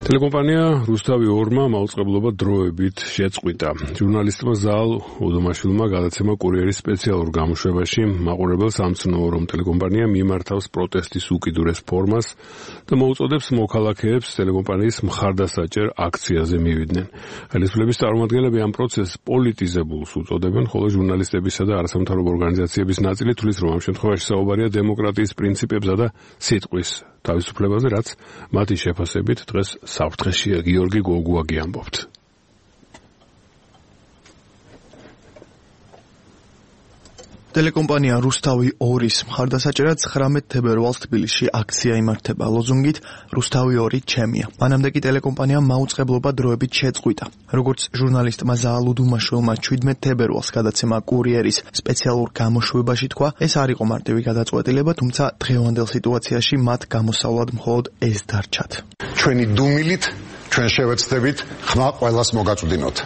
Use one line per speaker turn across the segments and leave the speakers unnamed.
ტელეკომპანია რუსთავი 2-მა მაუწყებლობა დროებით შეწყვიტა. ჟურნალისტმა ზაალ უდუმაშვილმა გადაცემა კურიერის სპეციალურ გამოშვებაში მაყურებელს ამცნო, რომ ტელეკომპანია მიმართავს პროტესტის უკიდურეს ფორმას და მოუწოდებს მოქალაქეებს ტელეკომპანიის მხარდასაჭერ აქციაზე მივიდნენ. ხელისუფლების წარმომადგენლები ამ პროცესს პოლიტიზებულს უწოდებენ, ხოლო ჟურნალისტებისა და არასამთავრობო ორგანიზაციების ნაწილი თვლის, რომ ამ შემთხვევაში საუბარია დემოკრატიის პრინციპებსა და სიტყვის თავისუფლებაზე, რაც მათი შეფასებით დღეს საფრთხეშია. გიორგი გოგუაგი ამბობთ.
ტელეკომპანია რუსთავი 2-ის მხარდასაჭერად 19 თებერვალს თბილისში აქცია იმართება ლოზუნგით რუსთავი 2 ჩემია. მანამდე კი ტელეკომპანიამ მაუწყებლობა დროებით შეწყვიტა. როგორც ჟურნალისტმა ზაალ უდუმაშვილმა 17 თებერვალს გადაცემა კურიერის სპეციალურ გამოშვებაში თქვა, ეს არ იყო მარტივი გადაწყვეტილება, თუმცა დღევანდელ სიტუაციაში მათ გამოსავლად მხოლოდ ეს დარჩათ.
ჩვენი დუმილით ჩვენ შევეცდებით ხმა ყველას მოგაწვდინოთ.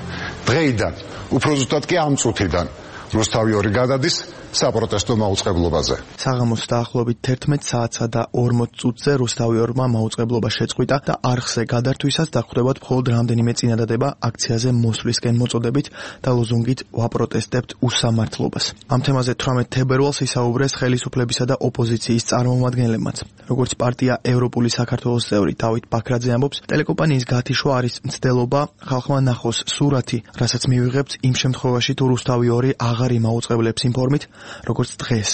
დღეიდან, უფრო ზუსტად კი ამ წუთიდან რუსთავი 2 გადადის საპროტესტო მაუწყებლობაზე.
საღამოს დაახლოებით 11 საათსა და 40 წუთზე რუსთავი 2-მა მაუწყებლობა შეწყვიტა და არხზე გადართვისას დახვდებათ მხოლოდ რამდენიმე წინადადება აქციაზე მოსვლისკენ მოწოდებით და ლოზუნგით ვაპროტესტებთ უსამართლობას. ამ თემაზე 18 თებერვალს ისაუბრეს ხელისუფლებისა და ოპოზიციის წარმომადგენლებმაც. როგორც პარტია ევროპული საქართველოს წევრი დავით ბაქრაძე ამბობს, ტელეკომპანიის გათიშვა არის მცდელობა, ხალხმა ნახოს სურათი, რასაც მივიღებთ იმ შემთხვევაში თუ რუსთავი 2 აღარ იმაუწყებლებს იმ ფორმით, როგორც დღეს.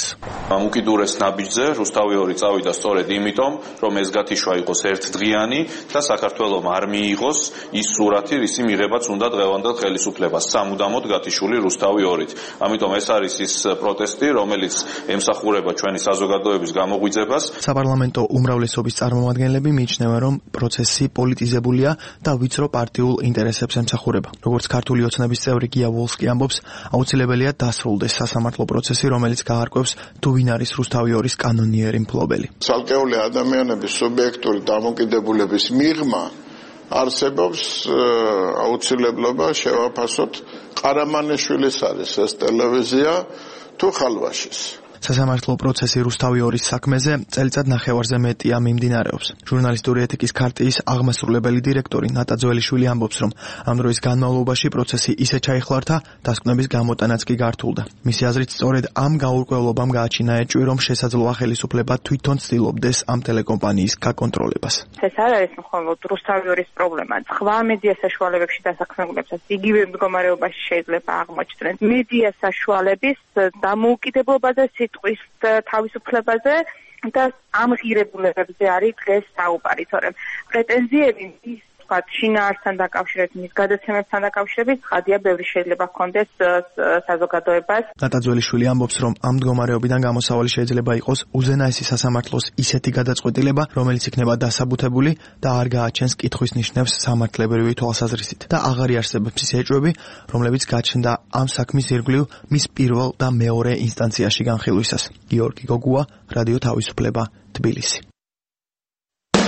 ამ უკიდურეს ნაბიჯზე რუსთავი 2 წავიდა სწორედ იმიტომ, რომ ეს გათიშვა იყოს ერთდღიანი და საქართველოს არ მიიღოს ის სურათი, რისი მიღებაც უნდა დღევანდელ ხელისუფლებას, სამუდამოდ გათიშული რუსთავი 2-ით. ამიტომ ეს არის ის პროტესტი, რომელიც ემსახურება ჩვენი საზოგადოების გამოღვიძებას.
საპარლამენტო უმრავლესობის წარმომადგენლები მიიჩნევენ, რომ პროცესი პოლიტიზებულია და ვიწრო პარტიულ ინტერესებს ემსახურება. როგორც ქართული ოცნების წევრი გია ვოლსკი ამბობს, აუცილებელია დასრულდეს სასამართლო პროცესი, რომელიც გაარკვევს თუ ვინ არის რუსთავი 2-ის კანონიერი მფლობელი.
ცალკეული ადამიანების სუბიექტური დამოკიდებულების მიღმა არსებობს აუცილებლობა შევაფასოთ ყარამანაშვილის არის ეს ტელევიზია თუ ხალვაშის.
სასამართლო პროცესი რუსთავი 2-ის საქმეზე წელიწად ნახევარზე მეტია მიმდინარეობს. ჟურნალისტური ეთიკის ქარტიის აღმასრულებელი დირექტორი ნატა ძველიშვილი ამბობს, რომ ამ დროის განმავლობაში პროცესი ისე ჩაიხლართა, დასკვნების გამოტანაც კი გართულდა. მისი აზრით, სწორედ ამ გაურკვევლობამ გააჩინა ეჭვი, რომ შესაძლოა ხელისუფლება თვითონ ცდილობდეს ამ ტელეკომპანიის გაკონტროლებას.
ეს არ არის მხოლოდ რუსთავი 2-ის პრობლემა. სხვა მედია საშუალებებში დასაქმებულებსაც იგივე მდგომარეობაში შეიძლება აღმოჩნდნენ. მედია საშუალების დამოუკიდებლობაზე, სიტყვის თავისუფლებაზე და ამ ღირებულებებზე არის დღეს საუბარი, თორემ პრეტენზიები ის შინაარსთან დაკავშირებით, მის გადაცემებთან დაკავშირებით, ცხადია, ბევრი შეიძლება ჰქონდეს საზოგადოებას.
ნატა ძველიშვილი ამბობს, რომ ამ მდგომარეობიდან გამოსავალი შეიძლება იყოს უზენაესი სასამართლოს ისეთი გადაწყვეტილება, რომელიც იქნება დასაბუთებული და არ გააჩენს კითხვის ნიშნებს სამართლებრივი თვალსაზრისით და აღარ იარსებებს ის ეჭვები, რომლებიც გაჩნდა ამ საქმის ირგვლივ მის პირველ და მეორე ინსტანციაში განხილვისას. გიორგი გოგუა, რადიო თავისუფლება, თბილისი.